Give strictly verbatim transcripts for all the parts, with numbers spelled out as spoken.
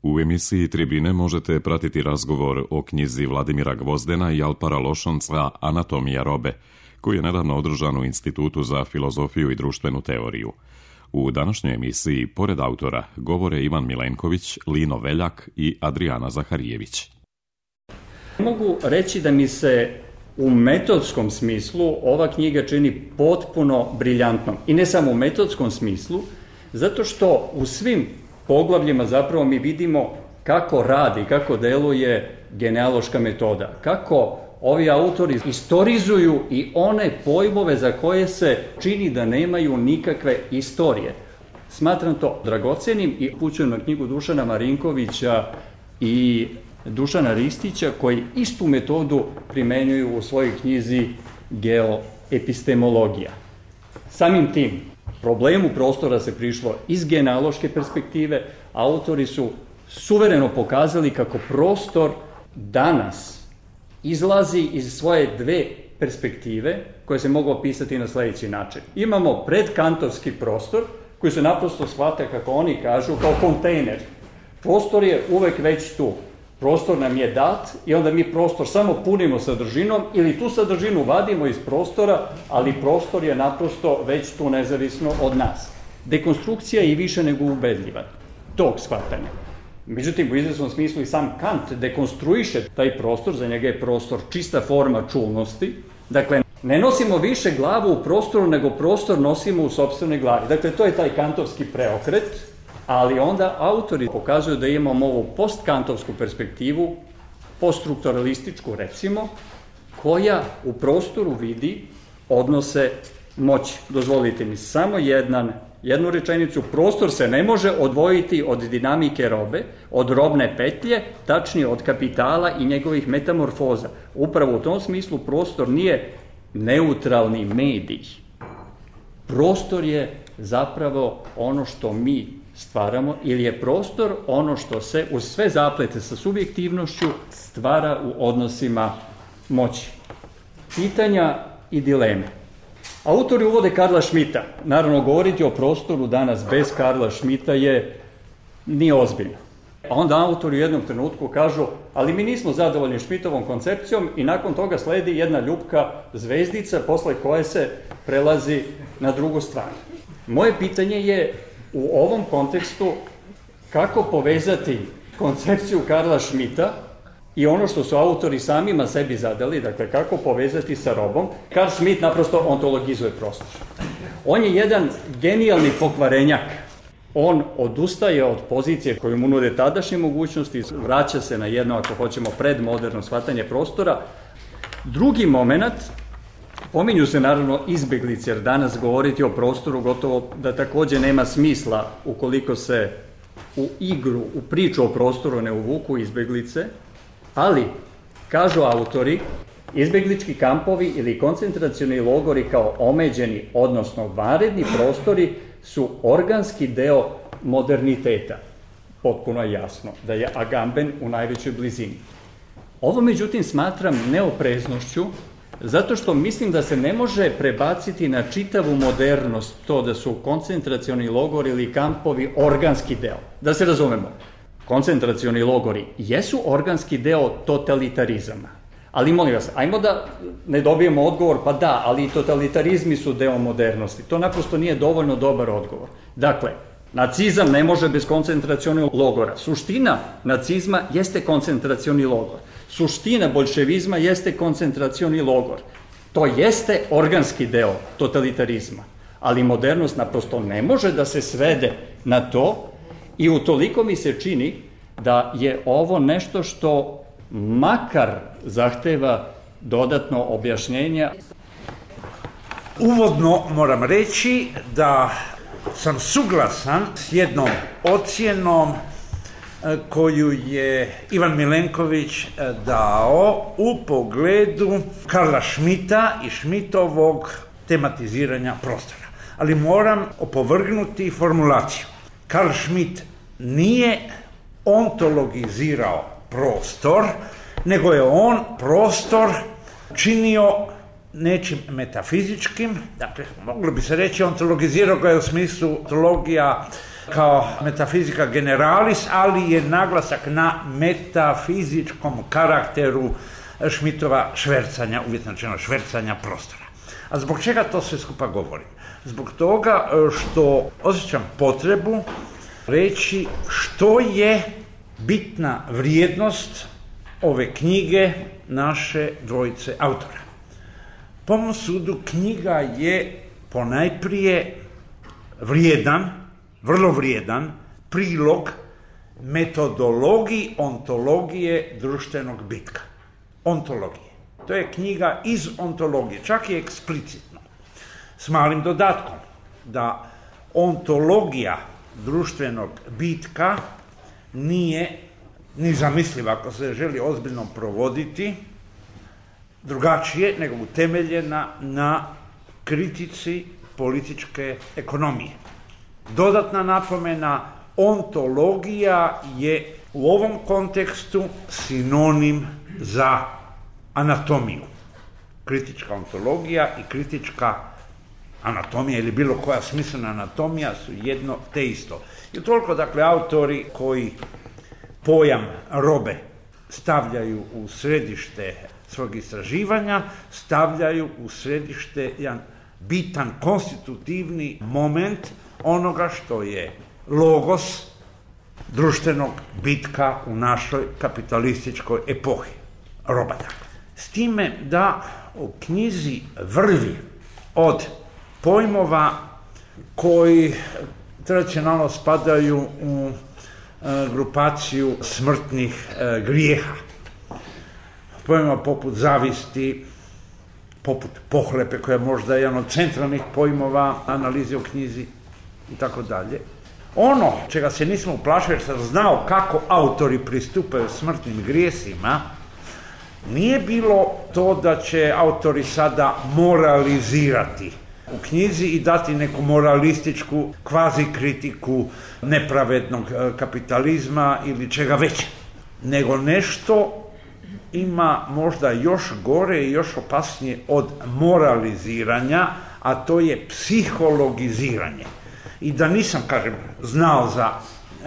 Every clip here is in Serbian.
U emisiji Tribine možete pratiti razgovor o knjizi Vladimira Gvozdena i Alpara Lošonca Anatomija robe, koji je nedavno održan u Institutu za filozofiju i društvenu teoriju. U današnjoj emisiji, pored autora, govore Ivan Milenković, Lino Veljak i Adrijana Zaharijević. Mogu reći da mi se u metodskom smislu ova knjiga čini potpuno briljantnom. I ne samo u metodskom smislu, zato što u svim poglavljima zapravo mi vidimo kako radi, kako deluje genealoška metoda, kako ovi autori istorizuju i one pojmove za koje se čini da nemaju nikakve istorije. Smatram to dragocenim i upućujem na knjigu Dušana Marinkovića i Dušana Ristića, koji istu metodu primenjuju u svojoj knjizi Geoepistemologija. Samim tim, problemu prostora se prišlo iz genealoške perspektive. Autori su suvereno pokazali kako prostor danas izlazi iz svoje dve perspektive koje se mogu opisati na sledeći način. Imamo predkantovski prostor koji se naprosto shvata, kako oni kažu, kao kontejner. Prostor je uvek već tu. Prostor nam je dat i onda mi prostor samo punimo sadržinom ili tu sadržinu vadimo iz prostora, ali prostor je naprosto već tu nezavisno od nas. Dekonstrukcija je i više nego ubedljiva tog shvatanja. Međutim, u izvesnom smislu i sam Kant dekonstruiše taj prostor, za njega je prostor čista forma čulnosti. Dakle, ne nosimo više glavu u prostoru, nego prostor nosimo u sopstvenoj glavi. Dakle, to je taj kantovski preokret, ali onda autori pokazuju da imamo ovu postkantovsku perspektivu, poststrukturalističku recimo, koja u prostoru vidi odnose moći. Dozvolite mi samo jedan, jednu rečenicu. Prostor se ne može odvojiti od dinamike robe, od robne petlje, tačnije od kapitala i njegovih metamorfoza. Upravo u tom smislu prostor nije neutralni medij. Prostor je zapravo ono što mi stvaramo, ili je prostor ono što se uz sve zaplete sa subjektivnošću stvara u odnosima moći. Pitanja i dileme. Autori uvode Karla Schmitta. Naravno, govoriti o prostoru danas bez Karla Schmitta je nije ozbiljno. A onda autori u jednom trenutku kažu, ali mi nismo zadovoljni Schmittovom koncepcijom, i nakon toga sledi jedna ljupka zvezdica posle koje se prelazi na drugu stranu. Moje pitanje je u ovom kontekstu kako povezati koncepciju Karla Schmitta i ono što su autori samima sebi zadali, dakle kako povezati sa robom. Karl Schmitt naprosto ontologizuje prostor. On je jedan genijalni pokvarenjak. On odustaje od pozicije koju mu nude tadašnje mogućnosti, vraća se na jedno, ako hoćemo, predmoderno shvatanje prostora. Drugi moment, pominju se naravno izbeglice, jer danas govoriti o prostoru gotovo da takođe nema smisla ukoliko se u igru, u priču o prostoru ne uvuku izbeglice, ali, kažu autori, izbeglički kampovi ili koncentracioni logori kao omeđeni, odnosno vanredni prostori, su organski deo moderniteta. Potpuno je jasno da je Agamben u najvećoj blizini. Ovo, međutim, smatram neopreznošću, zato što mislim da se ne može prebaciti na čitavu modernost to da su koncentracioni logori ili kampovi organski deo. Da se razumemo, koncentracioni logori jesu organski deo totalitarizama. Ali molim vas, ajmo da ne dobijemo odgovor, pa da, ali i totalitarizmi su deo modernosti. To naprosto nije dovoljno dobar odgovor. Dakle, nacizam ne može bez koncentracionog logora. Suština nacizma jeste koncentracioni logor. Suština boljševizma jeste koncentracioni logor. To jeste organski deo totalitarizma. Ali modernost naprosto ne može da se svede na to, i utoliko mi se čini da je ovo nešto što makar zahteva dodatno objašnjenja. Uvodno moram reći da sam suglasan s jednom ocjenom koju je Ivan Milenković dao u pogledu Karla Schmitta i Schmittovog tematiziranja prostora. Ali moram opovrgnuti formulaciju. Karl Schmitt nije ontologizirao prostor, nego je on prostor činio nečim metafizičkim, dakle, moglo bi se reći ontologizirao ga je u smislu ontologija kao metafizika generalis, ali je naglasak na metafizičkom karakteru Schmittova švercanja, uvjetno rečeno švercanja prostora. A zbog čega to sve skupa govorim? Zbog toga što osjećam potrebu reći što je bitna vrijednost ove knjige naše dvojice autora. Po mom sudu knjiga je ponajprije vrijedan, vrlo vrijedan prilog metodologiji ontologije društvenog bitka. Ontologije. To je knjiga iz ontologije, čak i eksplicitno. S malim dodatkom da ontologija društvenog bitka nije ni zamisliva ako se želi ozbiljno provoditi drugačije nego utemeljena na kritici političke ekonomije. Dodatna napomena, ontologija je u ovom kontekstu sinonim za anatomiju. Kritička ontologija i kritička anatomija ili bilo koja smislena anatomija su jedno te isto. I toliko, dakle, autori koji pojam robe stavljaju u središte svog istraživanja, stavljaju u središte jedan bitan konstitutivni moment onoga što je logos društvenog bitka u našoj kapitalističkoj epohi. Roba, dakle. S time da u knjizi vrvi od pojmova koji tradicionalno spadaju u e, grupaciju smrtnih e, grijeha. Pojmova poput zavisti, poput pohlepe, koja je možda jedan od centralnih pojmova analize u knjizi i tako dalje. Ono čega se nismo uplašili jer sam znao kako autori pristupaju smrtnim grijesima, nije bilo to da će autori sada moralizirati u knjizi i dati neku moralističku kvazi kritiku nepravednog kapitalizma ili čega već, nego nešto ima možda još gore i još opasnije od moraliziranja, a to je psihologiziranje. I da nisam, kažem, znao za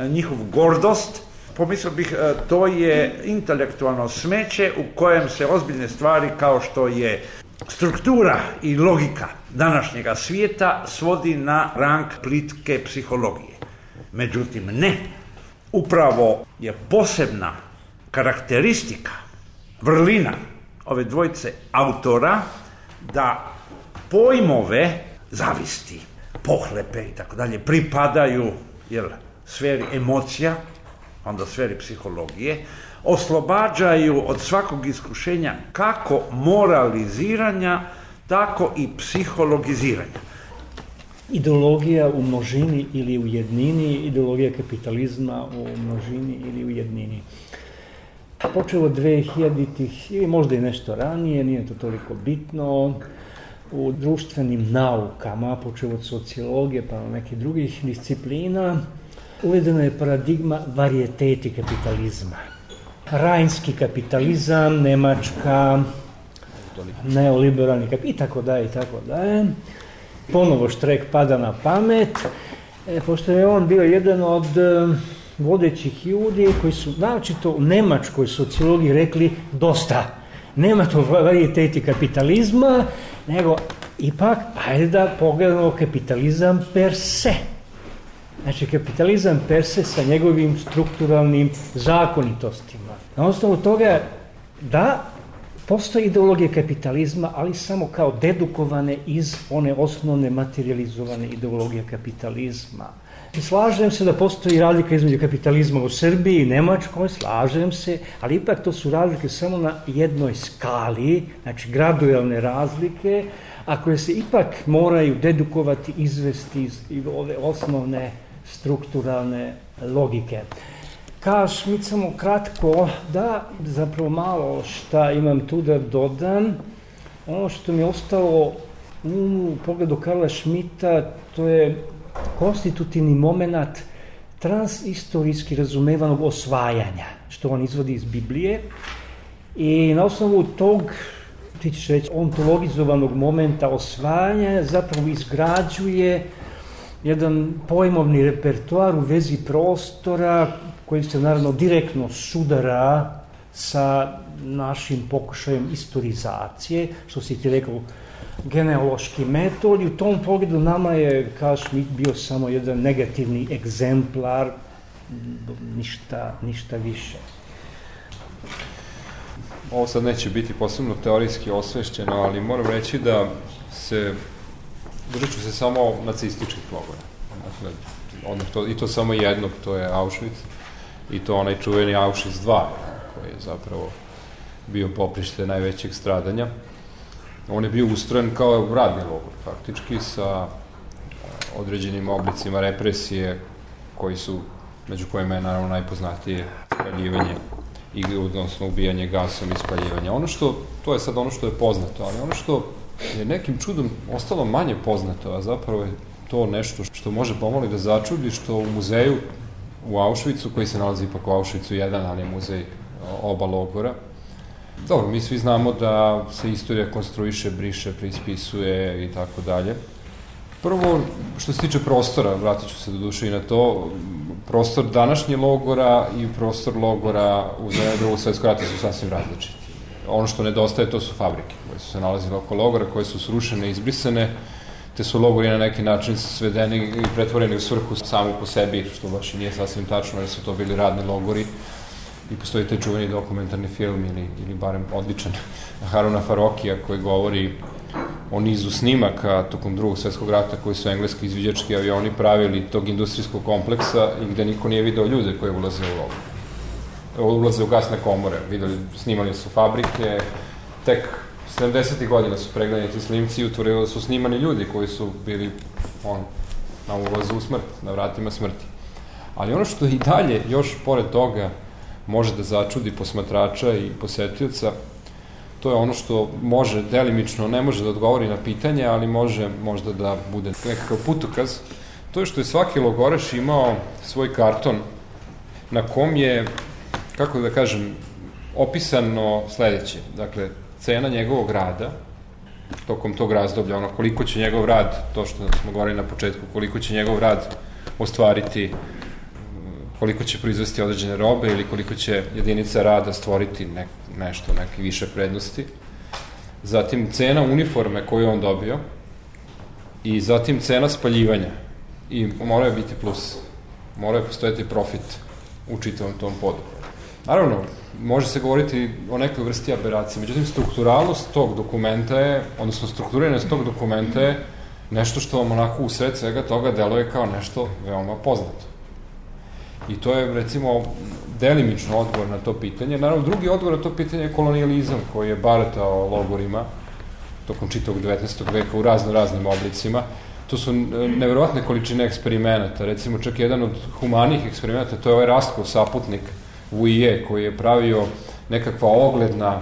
njihov gordost, pomislio bih to je intelektualno smeće u kojem se ozbiljne stvari kao što je struktura i logika današnjega svijeta svodi na rang plitke psihologije. Međutim, ne. Upravo je posebna karakteristika, vrlina ove dvojice autora da pojmove zavisti, pohlepe i tako dalje pripadaju jel, sferi emocija, onda sferi psihologije, oslobađaju od svakog iskušenja kako moraliziranja, tako i psihologiziranja. Ideologija u množini ili u jednini, ideologija kapitalizma u množini ili u jednini. Počeo od dvehiljaditih ili možda i nešto ranije, nije to toliko bitno, u društvenim naukama, počeo od sociologije pa na nekih drugih disciplina, uvedena je paradigma varijeteti kapitalizma. Rajnski kapitalizam, Nemačka, neoliberalni kapitalizam i tako dalje i tako dalje. Ponovo Štrek pada na pamet, e, pošto je on bio jedan od e, vodećih ljudi koji su naročito u nemačkoj sociologiji rekli dosta. Nema to varijeteti kapitalizma, nego ipak, ajde da pogledamo kapitalizam per se. Znači, kapitalizam per se sa njegovim strukturalnim zakonitostima. Na osnovu toga da postoji ideologija kapitalizma, ali samo kao dedukovane iz one osnovne materializovane ideologije kapitalizma. I slažem se da postoji razlika između kapitalizma u Srbiji i Nemačkoj, slažem se, ali ipak to su razlike samo na jednoj skali, znači gradualne razlike, a koje se ipak moraju dedukovati, izvesti iz ove osnovne strukturalne logike. Kao Schmitt samo kratko, da zapravo malo šta imam tu da dodam. Ono što mi je ostalo u pogledu Karla Schmitta, to je konstitutivni moment transistorijski razumevanog osvajanja, što on izvodi iz Biblije. I na osnovu tog, ti ćeš reći, ontologizovanog momenta osvajanja zapravo izgrađuje jedan pojmovni repertoar u vezi prostora koji se naravno direktno sudara sa našim pokušajem istorizacije, što si ti rekao, genealoški metod, i u tom pogledu nama je Carl bio samo jedan negativni egzemplar, ništa, ništa više. Ovo sad neće biti posebno teorijski osvešćeno, ali moram reći da se, držat ću se samo nacističkih logora. Dakle, ono to, i to samo jednog, to je Auschwitz, i to onaj čuveni Auschwitz dva, koji je zapravo bio poprište najvećeg stradanja. On je bio ustrojen kao radni logor, faktički, sa određenim oblicima represije, koji su, među kojima je naravno najpoznatije spaljivanje, i, odnosno ubijanje gasom i spaljivanje. Ono što, to je sad ono što je poznato, ali ono što je nekim čudom ostalo manje poznato, a zapravo je to nešto što može pomoli da začudi, što u muzeju u Auschwitzu, koji se nalazi ipak u Auschwitzu jedan, ali je muzej oba logora. Dobro, mi svi znamo da se istorija konstruiše, briše, preispisuje i tako dalje. Prvo, što se tiče prostora, vratit ću se do duše i na to, prostor današnje logora i prostor logora u Drugog svetskog rata su sasvim različiti. Ono što nedostaje, to su fabrike koje su se nalazile oko logora, koje su srušene, izbrisane, te su logori na neki način svedeni i pretvoreni u svrhu samu po sebi, što baš i nije sasvim tačno, jer su to bili radni logori. I postoji taj čuveni dokumentarni film, ili, ili barem odličan, Haruna Farokija, koji govori o nizu snimaka tokom Drugog svetskog rata koji su engleski izviđački avioni pravili tog industrijskog kompleksa i gde niko nije video ljude koje ulaze u logor. Ulaze u gasne komore, videli, snimali su fabrike, tek sedamdesetih godina su pregledani ti snimci i utvorili da su snimani ljudi koji su bili on, na ulazu u smrt, na vratima smrti. Ali ono što i dalje, još pored toga, može da začudi posmatrača i posetioca, to je ono što može delimično, ne može da odgovori na pitanje, ali može možda da bude nekakav putokaz. To je što je svaki logoraš imao svoj karton na kom je, kako da kažem, opisano sledeće. Dakle, cena njegovog rada, tokom tog razdoblja, ono koliko će njegov rad, to što smo govorili na početku, koliko će njegov rad ostvariti, koliko će proizvesti određene robe ili koliko će jedinica rada stvoriti ne, nešto, neke više prednosti. Zatim cena uniforme koju on dobio i zatim cena spaljivanja. I mora biti plus, mora postojati profit u čitavom tom podu. Naravno, može se govoriti o nekoj vrsti aberacije, međutim, strukturalnost tog dokumenta je, odnosno strukturiranost tog dokumenta je nešto što vam onako u sred svega toga deluje kao nešto veoma poznato. I to je, recimo, delimično odgovor na to pitanje. Naravno, drugi odgovor na to pitanje je kolonijalizam, koji je baratao logorima tokom čitavog devetnaestog veka u razno raznim oblicima. To su neverovatne količine eksperimenata. Recimo, čak jedan od humanih eksperimenata, to je ovaj Rastkov saputnik Vuije, koji je pravio nekakva ogledna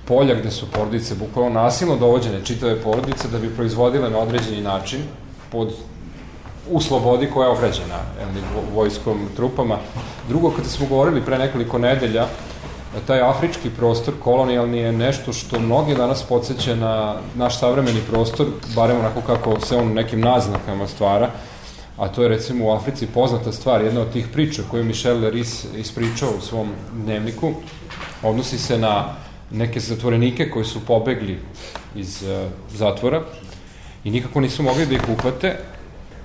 polja gde su porodice bukvalno nasilno dovođene, čitave porodice, da bi proizvodile na određeni način pod u slobodi koja je ograđena vojskom trupama. Drugo, kada smo govorili pre nekoliko nedelja, taj afrički prostor kolonijalni je nešto što mnogi danas podsjeća na naš savremeni prostor, barem onako kako se on nekim naznakama stvara, a to je recimo u Africi poznata stvar, jedna od tih priča koju Michel Leris ispričao u svom dnevniku, odnosi se na neke zatvorenike koji su pobegli iz zatvora i nikako nisu mogli da ih uhvate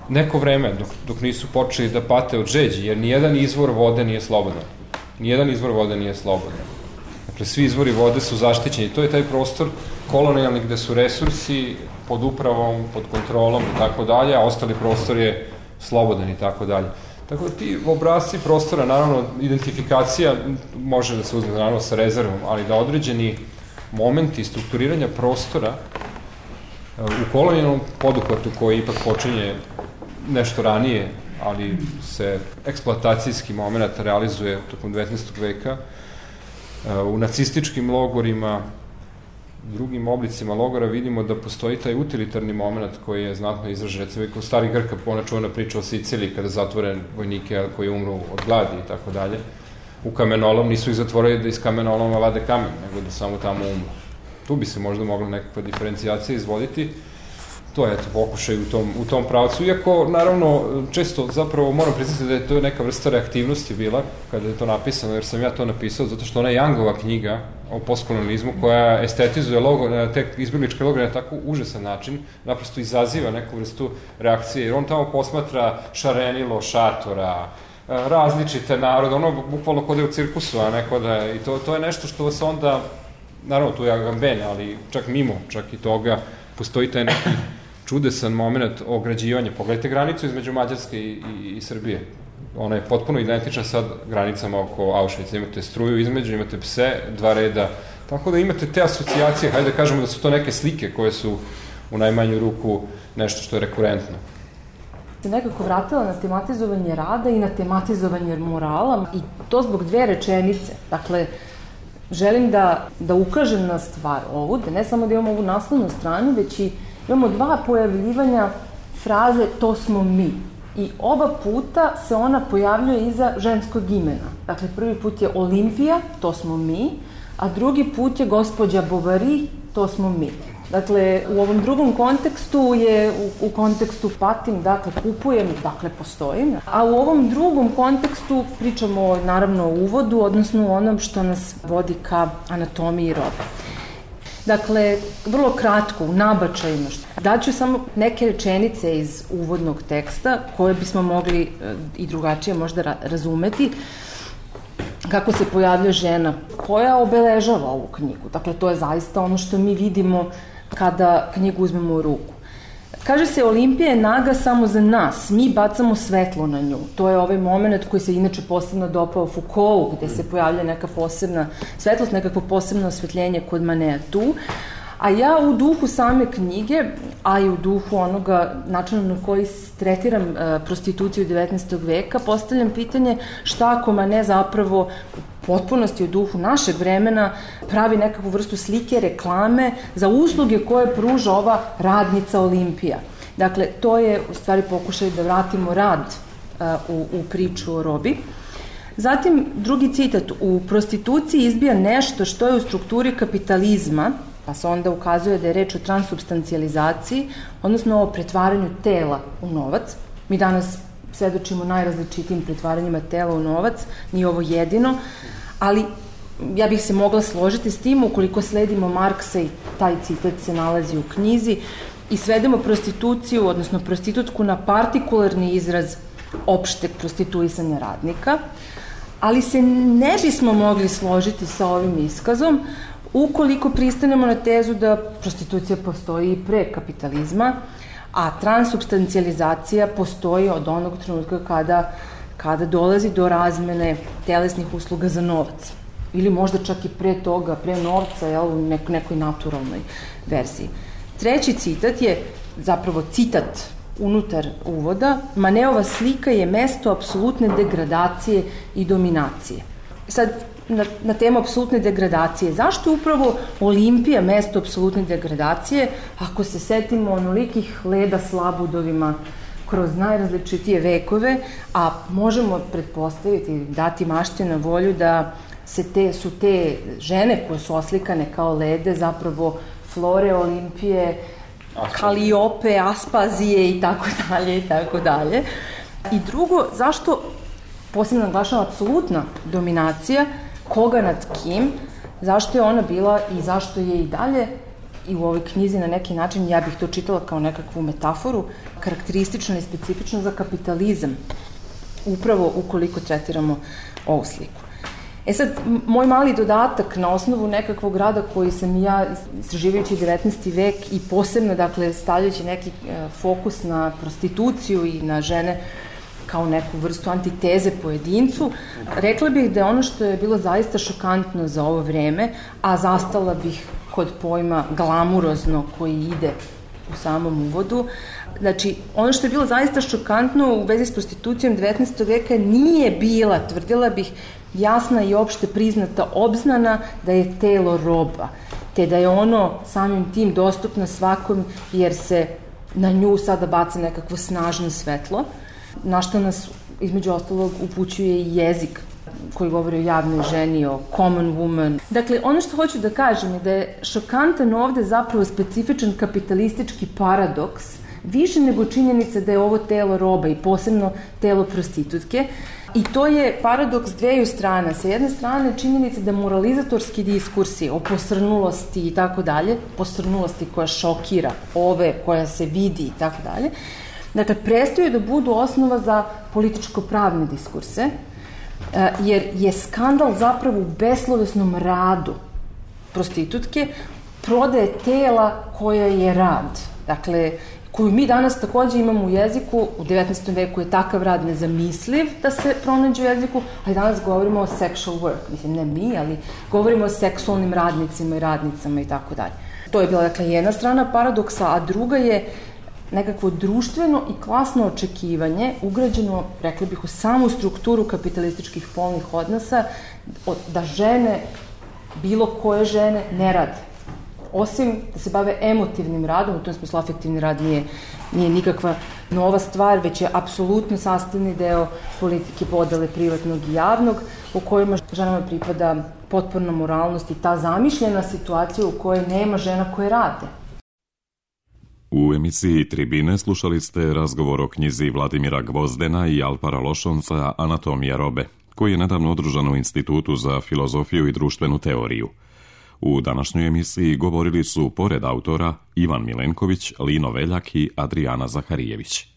neko vreme, dok, dok nisu počeli da pate od žeđi, jer nijedan izvor vode nije slobodan. Nijedan izvor vode nije slobodan. Dakle, svi izvori vode su zaštićeni. To je taj prostor kolonijalni gde su resursi pod upravom, pod kontrolom i tako dalje, a ostali prostor je slobodan i tako dalje. Tako da ti obrazci prostora, naravno, identifikacija može da se uzme naravno sa rezervom, ali da određeni momenti strukturiranja prostora u kolonijalnom poduhvatu koji ipak počinje nešto ranije, ali se eksploatacijski moment realizuje tokom devetnaestog veka, u nacističkim logorima, drugim oblicima logora vidimo da postoji taj utilitarni moment koji je znatno izražen, recimo kao stari Grka, ona čuvena priča o Siciliji kada zatvore vojnike koji umru od gladi i tako dalje, u kamenolom nisu ih zatvorili da iz kamenoloma vade kamen, nego da samo tamo umru. Tu bi se možda mogla nekakva diferencijacija izvoditi. to je eto, pokušaj u tom, u tom pravcu. Iako, naravno, često zapravo moram priznati da je to neka vrsta reaktivnosti bila kada je to napisano, jer sam ja to napisao, zato što ona je Youngova knjiga o postkolonizmu koja estetizuje logo, te izbjegličke logore na tako užasan način, naprosto izaziva neku vrstu reakcije, jer on tamo posmatra šarenilo, šatora, različite narode, ono bukvalno kod je u cirkusu, a ne kod je, i to, to je nešto što se onda, naravno tu je Agamben, ali čak mimo, čak i toga, postoji taj neki čudesan moment ograđivanja. Pogledajte granicu između Mađarske i, i, i Srbije. Ona je potpuno identična sad granicama oko Auschwitza. Imate struju između, imate pse, dva reda. Tako da imate te asocijacije, hajde da kažemo da su to neke slike koje su u najmanju ruku nešto što je rekurentno. Se nekako vratila na tematizovanje rada i na tematizovanje morala i to zbog dve rečenice. Dakle, želim da, da ukažem na stvar ovu, da ne samo da imamo ovu naslovnu stranu, već i imamo dva pojavljivanja fraze to smo mi. I oba puta se ona pojavljuje iza ženskog imena. Dakle, prvi put je Olimpija, to smo mi, a drugi put je gospođa Bovary, to smo mi. Dakle, u ovom drugom kontekstu je u, u kontekstu patim, dakle, kupujem, dakle, postojim. A u ovom drugom kontekstu pričamo, naravno, o uvodu, odnosno o onom što nas vodi ka anatomiji robe. Dakle, vrlo kratko, u nabačajima. Daću samo neke rečenice iz uvodnog teksta koje bismo mogli i drugačije možda razumeti kako se pojavlja žena koja obeležava ovu knjigu. Dakle, to je zaista ono što mi vidimo kada knjigu uzmemo u ruku. Kaže se, Olimpija je naga samo za nas, mi bacamo svetlo na nju. To je ovaj moment koji se inače posebno dopao Foucaultu, gde se pojavlja neka posebna svetlost, nekako posebno osvetljenje kod Manea tu. A ja u duhu same knjige, a i u duhu onoga načina na koji tretiram uh, prostituciju devetnaestog veka, postavljam pitanje šta ako Manet zapravo potpunosti u duhu našeg vremena pravi nekakvu vrstu slike, reklame za usluge koje pruža ova radnica Olimpija. Dakle, to je u stvari pokušaj da vratimo rad uh, u, u priču o robi. Zatim, drugi citat, u prostituciji izbija nešto što je u strukturi kapitalizma, pa se onda ukazuje da je reč o transubstancijalizaciji, odnosno o pretvaranju tela u novac. Mi danas svedočimo najrazličitijim pretvaranjima tela u novac, nije ovo jedino, ali ja bih se mogla složiti s tim ukoliko sledimo Marksa i taj citat se nalazi u knjizi i svedemo prostituciju, odnosno prostitutku na partikularni izraz opšteg prostituisanja radnika, ali se ne bismo mogli složiti sa ovim iskazom ukoliko pristanemo na tezu da prostitucija postoji i pre kapitalizma, a transubstancijalizacija postoji od onog trenutka kada, kada dolazi do razmene telesnih usluga za novac. Ili možda čak i pre toga, pre novca, jel, u nek, nekoj naturalnoj verziji. Treći citat je zapravo citat unutar uvoda. Maneova slika je mesto apsolutne degradacije i dominacije. Sad, na, na temu apsolutne degradacije. Zašto je upravo Olimpija mesto apsolutne degradacije, ako se setimo onolikih leda s labudovima kroz najrazličitije vekove, a možemo pretpostaviti, dati mašte na volju da se te, su te žene koje su oslikane kao lede zapravo Flore, Olimpije, Kaliope, Aspazije i tako dalje i tako dalje. I drugo, zašto posebno naglašava apsolutna dominacija, koga nad kim, zašto je ona bila i zašto je i dalje i u ovoj knjizi na neki način, ja bih to čitala kao nekakvu metaforu, karakteristična i specifična za kapitalizam, upravo ukoliko tretiramo ovu sliku. E sad, moj mali dodatak na osnovu nekakvog rada koji sam ja, istraživajući devetnaesti vek i posebno, dakle, stavljajući neki fokus na prostituciju i na žene kao neku vrstu antiteze pojedincu, rekla bih da je ono što je bilo zaista šokantno za ovo vreme, a zastala bih kod pojma glamurozno koji ide u samom uvodu. Znači, ono što je bilo zaista šokantno u vezi s prostitucijom devetnaestog veka nije bila, tvrdila bih, jasna i opšte priznata obznana da je telo roba, te da je ono samim tim dostupno svakom jer se na nju sada baca nekakvo snažno svetlo, na što nas između ostalog upućuje i jezik koji govori o javnoj ženi, o common woman. Dakle, ono što hoću da kažem je da je šokantan ovde zapravo specifičan kapitalistički paradoks, više nego činjenica da je ovo telo roba i posebno telo prostitutke. I to je paradoks dveju strana. Sa jedne strane činjenica da moralizatorski diskursi o posrnulosti i tako dalje, posrnulosti koja šokira, ove koja se vidi i tako dalje, dakle, prestaju da budu osnova za političko-pravne diskurse, jer je skandal zapravo u beslovesnom radu prostitutke, prodaje tela koja je rad. Dakle, koju mi danas takođe imamo u jeziku, u devetnaestom veku je takav rad nezamisliv da se pronađe u jeziku, ali danas govorimo o sexual work, mislim ne mi, ali govorimo o seksualnim radnicima i radnicama i tako dalje. To je bila, dakle, jedna strana paradoksa, a druga je nekakvo društveno i klasno očekivanje ugrađeno, rekli bih, u samu strukturu kapitalističkih polnih odnosa, da žene, bilo koje žene, ne rade. Osim da se bave emotivnim radom, u tom smislu afektivni rad nije, nije nikakva nova stvar, već je apsolutno sastavni deo politike podele privatnog i javnog, u kojima ženama pripada potporna moralnost i ta zamišljena situacija u kojoj nema žena koje rade. U emisiji Tribine slušali ste razgovor o knjizi Vladimira Gvozdena i Alpara Lošonca Anatomija robe, koji je nedavno održan u Institutu za filozofiju i društvenu teoriju. U današnjoj emisiji govorili su, pored autora, Ivan Milenković, Lino Veljak i Adrijana Zaharijević.